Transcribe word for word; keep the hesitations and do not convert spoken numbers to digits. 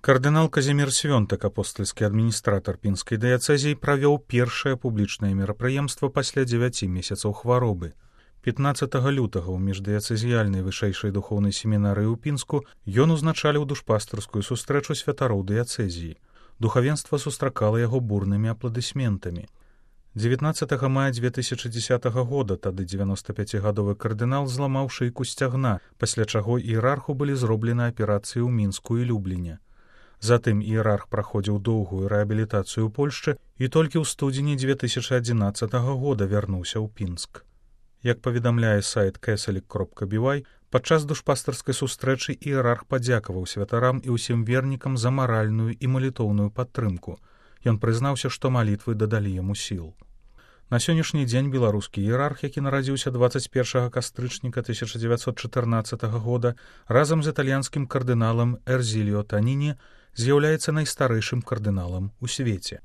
Кардынал Казімір Свёнтак, апостальскі адміністратар пінскай дыяцэзіі, правёў першае публічнае мерапрыемства пасля дзевяці месяцаў хваробы. пятнаццатага лютага ў міждыяцэзіяльнай вышэйшай духоўнай семінарыі ў Пінску ён узначаліў душпастарскую сустрэчу святароў дыяцэзіі. Духавенства сустракала яго бурнымі апладысментамі. дзевятнаццатага мая дзве тысячы дзесятага года тады дзевяностапяцігадовы кардынал зламаў шыйку сцягна, пасля чаго іерарху былі зроблены аперацыі ў Мінску і Любліне. Затым іерарх праходзіў доўгую рэабілітацыю ў Польшчы і толькі ў студзені дзве тысячы адзінаццатага года вярнуўся ў Пінск. Як паведамляе сайт кэсалік кропка бі вай, падчас душпастарскай сустрэчы іерарх падзякаваў святарам і ўсім вернікам за маральную і малітоўную падтрымку. Ён прызнаўся, што малітвы дадалі яму сіл. На сённяшні дзень беларускі іерарх, які нарадзіўся дваццаць першага кастрычніка тысяча дзевяцьсот чатырнаццатага года, разам з італьянскім кардыналам Эрзіліо Таніні з'яўляецца найстарэйшым кардыналам у свеце.